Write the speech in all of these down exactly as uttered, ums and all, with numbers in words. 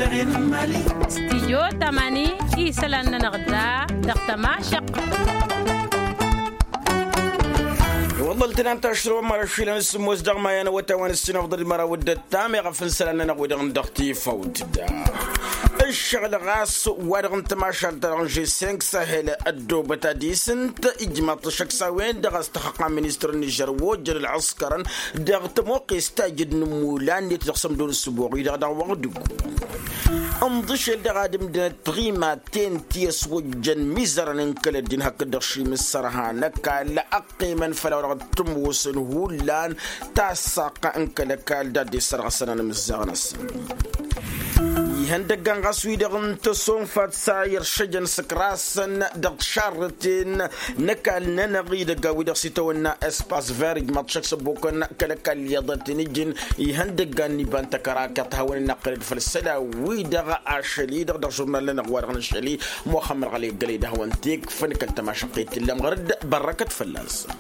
Stidyo tamani isălan-nănăɣ da dăɣ-tămašăq. Iwăḍăl tănam tašrăwăm măra šilăn s-mos dăɣ-maya n-awătawăn s-sinăfḍăd măra wăddăt tameɣ afǝnsălan-nănăɣ wi-dăɣ n-dăɣ-tifăwt da. Ǝššăɣǝl ɣas wa-dăɣ n-tămašalt-ta-dăɣ n-žeseng sahel ăddoobăt ad-isǝnt ijmaḍ-t ăššăk s-a-wen-dăɣ a-s tăxăqqa ministăr n-nižer wa ojjăn ălɣǝskărăn dăɣ-tămoqqes tajǝd n-ǝmmulan-net dăɣ-sămdo n-ǝssǝboɣ-i-dăɣ dăɣ-wăɣdǝgu. Ǝnḍǝšel dăɣ-ad-ǝmdǝnăt tiɣimaten ti ăswăjjăn mizărăn n-kăl-ăddin hakd-dăɣ šimǝssărha n-ăkall ăqqimăn făll-a-wa-dăɣ t-ămoosăn hullan tassaqqa n-kăl-ăkall d-ad-dd-issărɣăsăn anmǝzzaɣ-năsăn. Ihăndăggan ɣas wi-dăɣ n-tăsonfat s-a iršăjăn s-ǝkrasăn dăɣ-tišarrǝten n-ăkall-nănăɣ idăgg a-wi-dăɣ s-itawănna espas ver ijmaḍ šăkk s-ăbbokăn kăl-ăkall iyyăḍ ad-t-in-ǝjǝn ihăndăggan n-iba n-tăkărakăt hawăn-in-năqqălăd făll-isălan wi-dăɣ ašăl-i-dăɣ dăɣ-žurnal-nănăɣ wa dăɣ-nǝššăl-i muxămmăd ɣălăy ăggălăy d-hawăn-t-ikfăn kăl-tămašăqqet t-illa ămɣărăd bărrăkăt fălla-săn.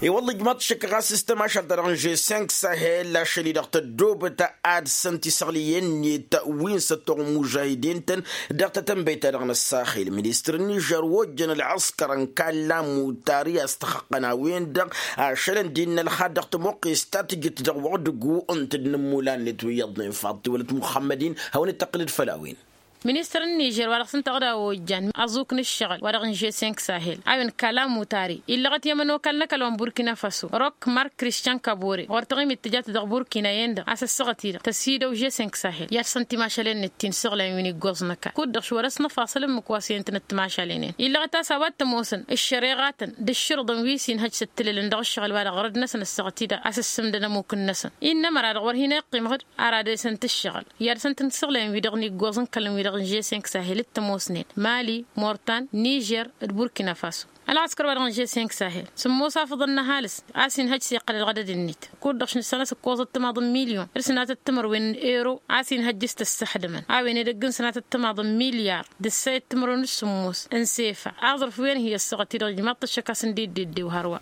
I-wălla ijmaḍ-t šăkk ɣas s-tămašalt-ta-dăɣ n-žeseng sahel ašăl-i-dăɣ tăddoobăt ad-săn tisăɣlǝyen-net wi n-săttoɣ n-imužahidin-tăn dăɣ-tatănbăyt-ta-dăɣ n-ăssaxil ministăr n-ižăr wa ojjăn ălɣăskăr n-kalla mutari a-s tăxăqqăn a-wen-dăɣ ašălăn d-innă ălxad dăɣ-tămoqqes ta tǝjǝt dăɣ-wăɣ dăgg-u ǝnta d-inǝmmulan-net wi iyyăḍnen faḍ tiwălăt muxămmăd-in hawăn-dd-tăqqǝlăd făll-a-wen. Ministăr n-nižer wa dăɣ-s ǝnta ɣǝd a ojjan aẓuk n-ǝššăɣǝl wa dăɣ-n žeseng sahel a-wen kala mutari illăɣăt i-ămănokal n-ăkall-ănburkina faso rok mark kriščan kabore ɣur-taɣimit tǝjat dăɣ-burkina-en-dăɣ a-s ăssaɣăt-i-dăɣ tăsidăw žeseng sahel i-ad-săn timašalen-net ti n-isăɣlăyăn wi n-iggoẓ n-ăkall kud-dăɣ šwăr-s n-afasăl ǝmmǝk wa s-iyăn-tănăt timašalen-en illăɣăt a-s a-wa t-ămoosăn ǝššăreɣa-tăn d-ǝššǝrǝḍăn wi s-inhăj s-ăttǝlălăn dăɣ-ǝššăɣǝl wa dăɣ-ɣărăd-năsăn ăssaɣăt-i-dăɣ a-s ǝssǝmdăn ămmuk-năsăn. Innă măra-dăɣ wăr hin-iqqim ɣǝd ar ad-esăn-t ǝššăɣǝl i-ad-săn-tăn-săɣlăyăn wi-dăɣ n-iggoẓ n-kăl-wi-dăɣ n-žeseng sahel d-tămoosnen mali mortan nižer d-burkina faso. Ălɣăskăr wa dăɣ-n žeseng sahel s-ămmoos afăḍăn n-ăhalǝs a-s inhăj s-iqqăl ălɣădăd-net kud-dăɣ š-nǝssan a-s ǝkkoẓăt timaḍ n-milyon d-sănatăt timărwen n-ero a-s inhăj s-tăssăxdǝmăn a-wen edăgg n-sănatăt timaḍ n-milyar d-ǝssayăt timărwen d-sǝmmos n-sefa aẓrǝf wi-ănhǝy ăssaɣăt-i-dăɣ ijmaḍ-t ăššăk a-s ǝndiddeddeu hărwa.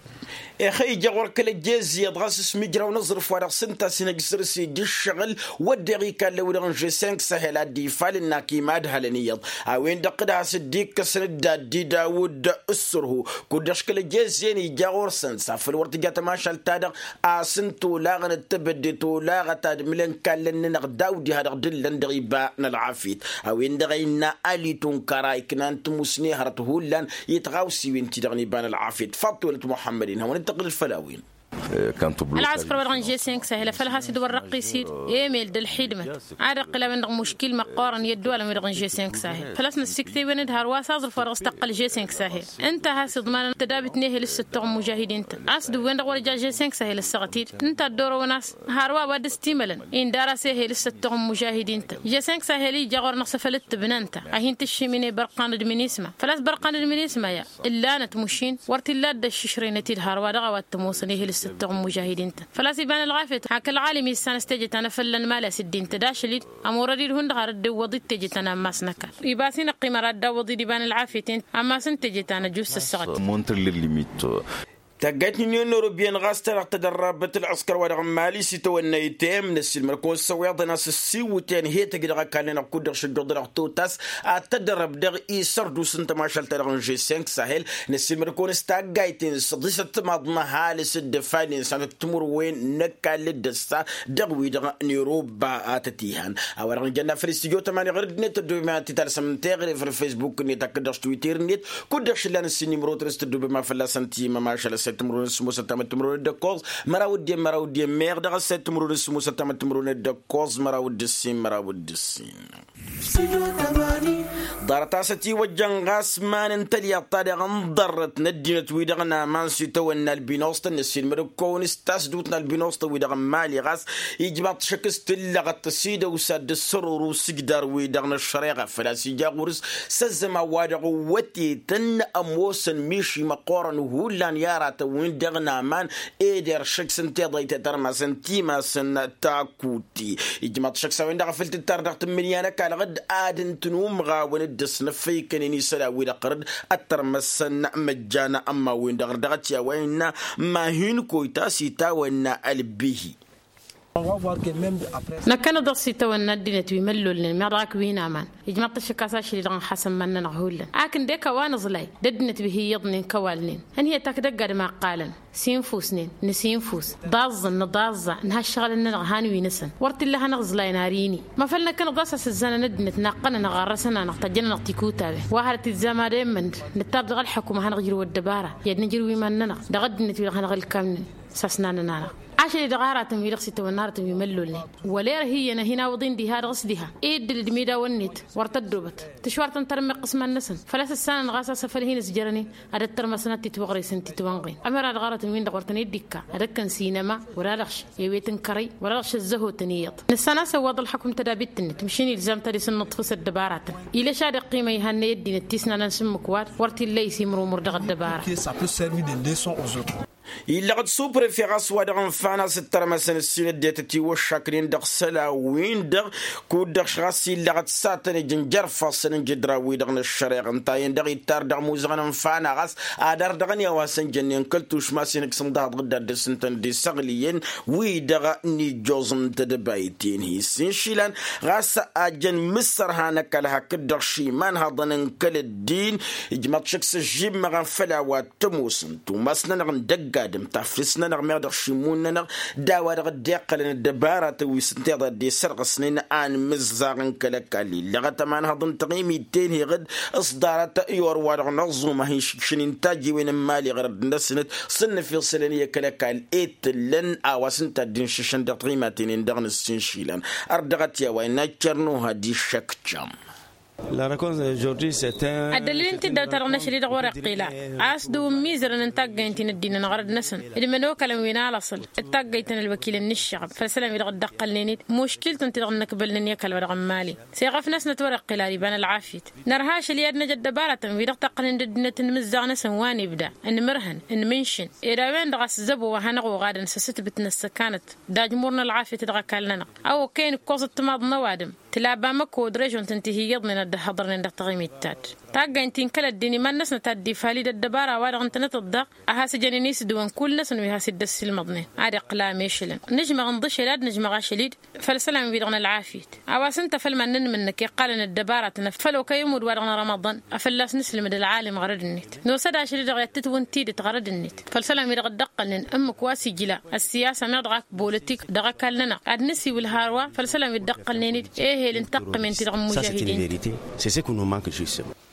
Ixăyja ɣur-kăl-ăjjezziyyăḍ ɣas s-imǝjraw n-aẓrǝf wa dăɣ-s ǝnta a-s inhăj săr-s ija ǝššăɣǝl wădden ikallăn wi-dăɣ n-žeseng sahel a dd-ifalăn n-akim adhălăn iyyăḍ a-wen-dăɣ d-has-dd-ikkăsăn dd-ad-dd-idawǝd ǝssărhu kud-dăɣ kăl-ăjjezziyyăn ija ɣur-săn s-afăl wăr tǝja tămašalt-ta-dăɣ a-s ǝnta olaɣăn d-tebădde tolaɣăt ad-mǝlăn kallăn-nănăɣ daw-diha dăɣ-dǝllăn dăɣ-iba n-ălɣafyăt a-wen-dăɣ a innă ali tunkăra iknan timusne hărăt hullan i-tiɣawsiwen-ti-dăɣ n-iba n-ălɣafyăt faḍ tiwălăt muḥămmăd-in hawăn-dd-tăqqǝlăd făll-a-wen. Ălɣăskăr wa dăɣ-n žeseng sahel a făl has-dd-wărrăqqis-dd emel d-ălxidmăt ad-iqqǝl a-wen-dăɣ muškil măqqoorăn i-ădduwalăn wi-dăɣ n-žeseng sahel făl-a-s năssiktăy-wen-dd hărwa s-aẓrǝf wa dăɣ-s tăqqăl žeseng sahel ǝnta a has-iḍmanăn tădabit n-ehel s-săttoɣ n-imužahidin-tăn a-s d-ǝwwen-dăɣ wăr ja žeseng sahel ăssaɣăt-dd ǝnta a dd-orăwăn a-s hărwa wa dd-ăstimălăn indar-as ehel s-săttoɣ n-imužahidin-tăn žeseng sahel ija ɣur-năɣ s-afăl dd-tǝbna ǝnta a hin-tǝššim-in i-bărqan d-minisma făl-a-s bărqan d-minisma ya ǝllanăt mušin wăr t-illa dd-ăššǝšrăynăt-dd hărwa dăɣ-a-wa t-ămoosăn ehel s-săttoɣ n-imužahidin-tăn făl-a-s iba n-ălɣafyăt hak ălɣalim issan s-teje ta n-afălla n-imali a-s dd-intăd ašăl-dd ămorăd-dd hundăɣ har dd-iwwăḍ-dd teje ta n-ammas n-ăkall iba a-s hin-ăqqim ara dd-awwăḍ-dd iba n-ălɣafyăt-en ammas n-teje ta n-ăjus ăssaɣăt. Montre l-limit. Taggayt n-unyon n-ewropiyăn ɣas ta dăɣ-tădărrabăt ălɣăskăr wa dăɣ-n mali s-itawănna item năssiilmăd-kăwăn s-ăwweḍăn a-s ǝssiwǝtăn he-tăj dăɣ-ăkall-nănăɣ kud-dăɣ šăjjoḍănăɣ totas ad-tădărrăb dăɣ-isărduus n-tămašalt-ta-dăɣ n-žeseng sahel năssiilmăd-kăwăn s-taggayt-en s-ḍisăt timaḍ n-ăhalǝs d-ăfalnen s-ad-tǝmǝrwen n-ăkall d-ăssa dăɣ-wi-dăɣ n-iruba a tăt-ihan a-wa-dăɣ n-jănna făll-istudyo tămani ɣur-dd-net tăddobem ad-t-talsăm n-teɣre făll-facebook-net hakd dăɣ-s twitter-net kud-dăɣ šǝllan ǝssin imrotăn s-tăddobem a fălla-săn timămašal ăssayăt timǝrwen s-sǝmmosăt tamăt timǝrwen d-ăkkoẓ măraw d-iyyăn măraw d-iyyăn meɣ dăɣ-ăssayăt timǝrwen s-sǝmmosăt tamăt timǝrwen d-ăkkoẓ măraw d-ǝssin măraw d-ǝssin. Ḍarăt a-s ătiwăjjăn ɣas iman n-tălyaḍt-ta-dăɣ n-ḍarrăt n-ăddinăt-wi-dăɣ n-aman s-itawănna ălbinuẓtăn năssiilmăd-kăwăn s-tasdut n-ălbinuẓtăn-wi-dăɣ n-mali ɣas ijmaḍ-t šăkk s-tǝllăɣăt tăsidăwsa dd-ăssărăru s-ǝjdar-wi-dăɣ n-ăššăreɣa făl-a-s ija ɣur-s s-ăzzăman wa dăɣ-wătetăn ămoosăn miši măqqoorăn hullan i-aratăn-win-dăɣ n-aman ed eršăk s-ǝnta iḍăytet ărmasăn timasăn takut. Ijmaḍ-t šăkk s-a-wen-dăɣ a făl tǝttar dăɣ-tǝmmǝnǝya n-ăkall ɣǝd ad-ǝntǝn umɣawăn dd-ăsnăffăykănen isălan-wi-dăɣ ɣǝr-dd ăttărmăsăn măjjan ămmawen-dăɣ ɣǝr-dd dăɣ-t i-a-wa innă ma hin-koyta s-itawănna ălbihi. Năkkăneḍ-dăɣ s-itawănna ăddinăt wi măllolnen meɣ dăɣ-ak wi n-aman. Ijmăḍ-t ăššăk a-s ašăl-i-dăɣ n-xasăn iman-nănăɣ hullan akǝn d-e-kăwa n-aẓlay d-ăddinăt wi hi-iyyăḍnen kăwalnen. Ănhăyăt ak dăgg-adǝm a ǝqqalăn sinfusnen nǝsinfus, ḍaẓẓăn nǝḍaẓẓa, nǝha ǝššăɣǝlăn-nănăɣ han wi-năsăn. Wăr t-illa a hanăɣ-ǝẓlayăn ar ini. Mafăl năkkăneḍ a-s asǝzzanăn ăddinăt naqqănănăɣ ɣarrăsăn-anăɣ tăjjăn-anăɣ tikutawen wa hărăt izzam ad-emmănd. Nǝttar dăɣ-ălḥăkum ad-hanăɣ-jǝrǝw ăddăbara i-ad-nǝjrǝw iman-nănăɣ dăɣ-ăddinăt wi-dăɣ hanăɣ-ǝlkamnen. S-asnanăn-anăɣ ašăl-i-dăɣ aratăn wi-dăɣ s-itawănna aratăn wi măllolnen wăla irhǝyyăn a hin-awǝḍ-in diha-dăɣ s-diha. Iddǝl d-imidawăn-net wăr tăddobăt tǝšwar tăn-tărmăqqǝs iman-năsăn. Făl-a-s ǝssanăn ɣas a-s afăl hin-ǝzjărăn-in ad-ăttărmăsăn ad-t-itwăɣresen titwănɣen. Ămăra dăɣ-aratăn-win-dăɣ wăr tăn-dd-ikka ad-ăkkăn sinăma wăr-a dăɣ-š ewet n-kărăy wăr-a dăɣ-š ăzzăhotăn iyyăḍ. Nǝssan a-s ăwwaḍ ălxăkum tădabit-net măšin ilzam ta dăr-s n-inǝṭṭfǝs ăddăbaratăn. Ilăš ad-iqqimăn ihannăy ăddinăt ti s-nanăn s-ǝmmǝk wa-dăɣ wăr t-illa a isǝmrumur dăɣ-ăddăbaratăn. Illăɣ-dd suprefe ɣas wa dăɣ-ǝnfan a-s ǝttărmăsăn ǝssin ăddinăt tiwăššaknen dăɣ-isălan-win-dăɣ. Kud-dăɣ ɣas illăɣ-dd s-ad-tăn-ǝjǝn jer-ifassăn n-jǝdra-wi-dăɣ n-ăššăreɣ ǝnta-en-dăɣ ittar dăɣ-imuzăɣăn ǝnfan a ɣas ad-ar dăɣ-nǝya wa săn jănnen kăl-tušma s-inǝksǝm dăɣ-dăɣ dd-ad-dăr-s ǝntăn d-isăɣlǝyăn wi-dăɣ n-ijjoẓ n-tedăbayt-en hi-s inšilan. Ɣas a jăn mǝssărha n-ăkall hakd-dăɣ šiman haḍăn n-kăl-ăddin. Ijmăḍ šăkk s-ăžžimăɣăn făll-a-wa tămoosăn tumas-nănăɣ n-dăgg-adǝm taflǝs-nănăɣ meɣ dăɣ-šimun-nănăɣ d-a-wa dăɣ-dd-iqqălăn ăddăbaratăn wi s-ǝnta iḍa dd-esărɣǝsnen. Anmǝzzaɣ n-kăl-ăkall illăɣăt ămanhăḍ n-taɣimit-ten-hi ɣǝd s-ḍarăt i-orwa-dăɣ n-ăẓẓum a hin-išǝkšǝn intajjiwen n-imali ɣărăt-năsnăt s-ǝnnǝf isălan i-kăl-ăkall i-tǝllăn a-wa s-ǝnta a dd-inšǝššăn dăɣ-taɣimaten-en-dăɣ n-ǝssinšilăn. Ărdăɣăt i-a-wa innă cărnuha d-iššăkcăm. Ăddălil n-tiddawt-ta-dăɣ n-ašăl-i-dăɣ wăr-iqqil a-s dăw-ǝmmizărăn n-taggayt ti n-ăddinăn ɣărăd-năsăn d-imănokălăn wi n-alăṣăl d-taggayt ta n-ălwăkilăn n-ǝššăɣăb făll-isălan wi-dăɣ dd-ăqqălnen-dd muškil-tăn ti-dăɣ n-inăkbălnen i-ăkall wa dăɣ-n mali. Seɣăf-năsnăt wăr-iqqil ar iban ălɣafyăt. Nărha ašăl i-ad-năj ăddăbaratăn wi-dăɣ taqqălnen d-ăddinăt n-imǝzzaɣ-năsăn wa n-ibda n-imǝrhăn n-imǝnšǝn ed a-wen-dăɣ a-s zăbo wa hanăɣ-oɣadăn s-asǝtbǝt n-ăssăkanăt d-ajmur n-ălɣafyăt dăɣ-ăkall-nănăɣ. A okăyăn ǝkkoẓăt timaḍ n-ăwadǝm tǝla bamăko d-režon-tăn ti hi-iyyăḍnen ad-dd-ăhhăḍărnen dăɣ-taɣimit-ta-dd. Taggayt ti n-kăl-ăddin iman-năsnăt a dd-ifali d-ăddăbara-wa-dăɣ ǝntănăt-dd-dăɣ a has-ǝjănen isǝdǝwăn kull-năsăn wi has-dd-ăssiilmăḍnen ad-iqqǝl amešălăn. Nǝžmăɣ n-dăšel ad-nǝžmăɣ ašăl-i-dd făll-isălan-wi-dăɣ n-ălɣafyăt. A-wa s-ǝnta făll-iman n-inmǝnnǝk iqqalăn ăddăbaratăn făll-okăy ămudd-wa-dăɣ n-rămăḍăn a fălla-s nǝslǝmǝd ălɣalim ɣărăd-net. Nosă-dd ašăl-i-dăɣ i-ad-tǝtwǝntidǝt ɣărăd-net făll-isălan-wi-dăɣ dd-ăqqălnen ǝmmǝk wa s-ijla ăssiyasa meɣ dăɣ-ak politik dăɣ-ăkall-nănăɣ ad-nǝsiwǝl hărwa făll-isălan wi dd-ăqqălnen-dd ehel n-taqqǝmen-ti-dăɣ n-imužahidin.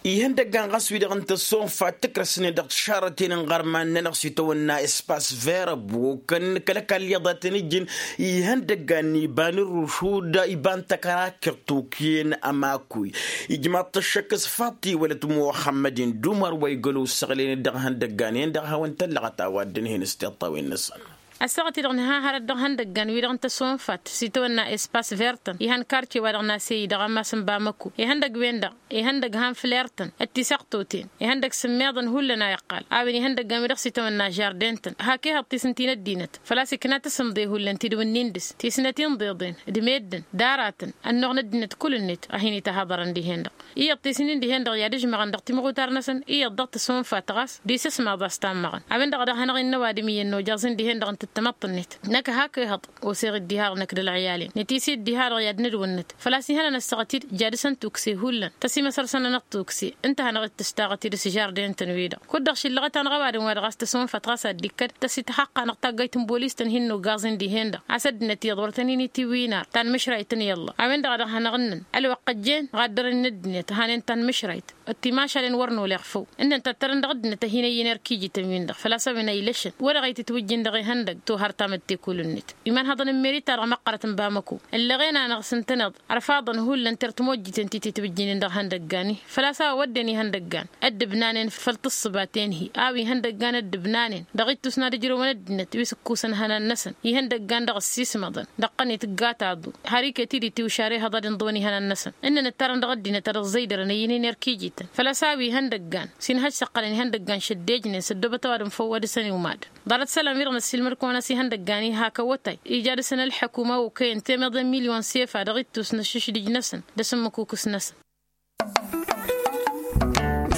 Ihăndăggan ɣas wi-dăɣ n-tăsonfa tǝkrăsnen dăɣ-tišarrăten n-iɣărman-nănăɣ s-itawănna espas ver ăbokăn kăl-ăkall iyyăḍ a tăn-ǝjjǝn. Ihăndăggan n-iba n-ǝrrušud iba n-tăkra kăr-tokǝyăn ămakuy. Ijmaḍ-t ăššăk s-faṭi wălăt muxămmăd-in d-umăr wa igălow ǝssăɣlăyăn-dd dăɣ-ihăndăggan-en-dăɣ a hawăn-tăllăɣăt a-wa dd-ǝnhǝyăn s-tiṭṭawen-năsăn. Ăssaɣăt-i-dăɣ nǝha hărăt dăɣ-ihăndăggan-wi-dăɣ n-tăsonfat s-itawănna espas vertăn ihăn karce-wa-dăɣ n-asey dăɣ-ammas n-bamăko ihăndăgg-wen-dăɣ ihăndăgg han flertăn d-tisăɣtoten ihăndăgg sǝmmeḍăn hullan a iqqal. A-wen ihăndăggan-wi-dăɣ s-itawănna žardin-tăn hak ehăḍ tisǝnti n-ăddinăt făl-a-s ikna tasǝmḍe hullan ti dd-wǝnnin dăr-s tisnăt inḍeḍen d-meddǝn d-aratăn ănnuɣ n-ăddinăt kull-net a hin-ităhaḍărăn dihen-dăɣ. Iyyăḍ tisnin dihen-dăɣ i-ad-ǝžmăɣăn dăɣ-timɣutar-năsăn iyyăḍ dăɣ-tăsonfat ɣas d-isǝsmaḍ a-s tammăɣăn. A-wen-dăɣ a dăɣ-hanăɣ-innă ăwadǝm iyyăn nojăẓ-in dihen-dăɣ n-tǝttămăḍt-net. Năkk hak ehăḍ oseɣ-dd diha-dăɣ năkk d-ălɣiyal-in nătisǝy-dd diha-dăɣ i-ad-nǝdwǝnnǝt făl-a-s ihăn anăssăɣăt-dd. Jadǝs n-tukse hullan tăsimăsăr săn-anăɣ tukse ǝnta a hanăɣ-dd-tǝstaɣăt-dd s-žardin-tăn-wi-dăɣ. Kud-dăɣ šillăɣăt-anăɣ ăwadǝm wa dăɣ-a-s tăsonfăt ɣas a dd-ikkăd tăsităxăqqa-năɣ taggayt n-bolis-tăn hin-noggaẓ-in dihen-dăɣ a-s ăddinăt iyyăḍ wăr tăn-in-itiwǝy inar tanmǝšrayt n-iyyălla. A-wen-dăɣ a dăɣ-hanăɣ-ǝnnăn ălwăqq ăjjeen ɣaddărăn n-ăddinăt hanen tanmǝšrayt d-timašalen wăr nolleɣ făw. Ǝnnăn tattărăn dăɣ-ăddinăt a hin-ăyyăn erk-ijităn-win-dăɣ făl-a-s a-wen a ilăšăn wăr-dăɣ itǝtwǝjjin dăɣ-ihăndăgg tohăr tamǝtte kull-net. Imanhăḍăn n-meri-ta-dăɣ măqqărăt n-bamăko ǝllăɣen-anăɣ s-ǝntăneḍ ărfaḍăn hullan tertmojjiten ti tǝtwǝjjinen dăɣ-ihăndăggan-i. Făl-a-s a-wa wădden ihăndăggan ăddǝbnanen făll-tǝssǝbat-en-hi a-wa ihăndăggan ăddǝbnanen dăɣ-ittus n-ad-ǝjrǝwăn ăddinăt wi s-ǝkkusăn ihănan-năsăn ihăndăggan dăɣ-ăssiismăḍăn dăɣ-tăn itǝgga taḍu har iket-dd itiwšar ehăḍ ad-inḍǝwăn ihănan-năsăn. Ǝnnăn ǝttarăn dăɣ-ăddinăt ad-ăẓẓăydărăn ăyyǝnen erk-ijităn făl-a-s a-wa ihăndăggan s-inhăj s-ăqqălăn ihăndăggan šăddejnen s-ăddoobăt ăwadǝm făw ad-dăr-săn iwmadăn. Ḍarăt isălan-wi-dăɣ năssiilmăd-kăwăn a-s ihăndăggan-i hak awătay ija dăr-săn ălḥăkum a okăyăn temeḍe n-milyon sefa dăɣ-ittus n-ăššǝšdǝj-năsăn d-asǝmmǝkukǝs-năsăn.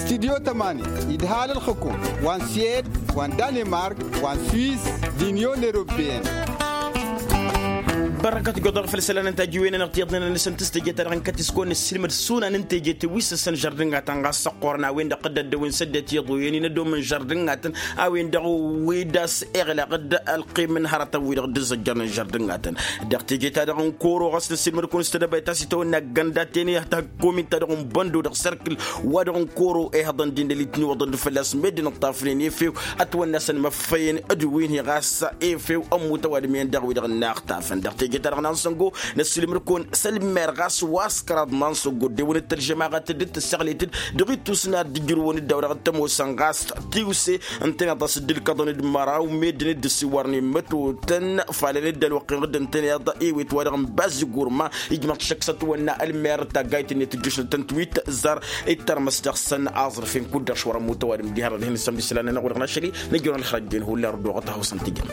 Studyo tămani idhal ălxǝkum wa n-siyed wa n-danimark wa n-swiss d-inyon eropeyăn. Bărrăkăt goḍăr făll-isălan n-tajǝwen-anăɣ tiyyăḍnen-anăsăn tǝstejăt-ta-dăɣ n-kăt-iskon n-ăssiilmăd šuna n-intejăt wi s-ăssăn žărdǝngatăn ɣas săqqorăn a-wen-dăɣ dd-ăddăwen s-ăddinăt iḍoyăn-in ădom n-žărdǝngatăn a-wen-dăɣ wi d-ass iɣlăɣ-dd ălqim n-hărătăn-wi-dăɣ dd-ǝzzăjjărnen žărdǝngatăn. Dăɣ-teje-ta-dăɣ n-koro ɣas n-ăssiilmăd-kăwăn s-tedăbayt a-s itawănna gănda tene takomin-ta-dăɣ n-băndo dăɣ-sărkǝl wa dăɣ-n koro ihăḍăn d-indăl itniwăḍăn-dd fălla-s meddǝn ǝṭṭafnen efew ătwănna a-s ănmăffăyăn d-wi n-hi ɣas efew ămmut ăwadǝm-en-dăɣ wi-dăɣ n-aɣtafăn dăɣ-teje-ta-dăɣ n-ansăngo. Năssiilmăd-kăwăn s-ălmer ɣas wa s-kăraḍ n-ansăngo dd-ewănăt tălžămaɣăt dd-tǝsseɣlităd dăɣ-ittus n-ad-dd-ǝjrǝwăn dd-a-wa dăɣ-tămoosăn ɣas tiwse ǝntăneḍ a-s dd-ǝlkăḍăn d-măraw meddǝn dd-ăssiwărnen mătotăn falăn-dd ălwăqq-en dd-ǝntăneḍ ewet wa dăɣ-n bazzi gurma. Ijmăɣ-t šăkk s-ătwănna ălmer taggayt-net tǝjjǝšlăt tăn-tiwit zar ittărmăs dăɣ-săn aẓrǝf-in kud-dăɣ šwăr ămmut ăwadǝm diha dăɣ-dihen isămd isălan-nănăɣ wa dăɣ-našăli. Năjjăwăn ălxărăjjen hullan rǝddoɣăt a hawsăn tijăn.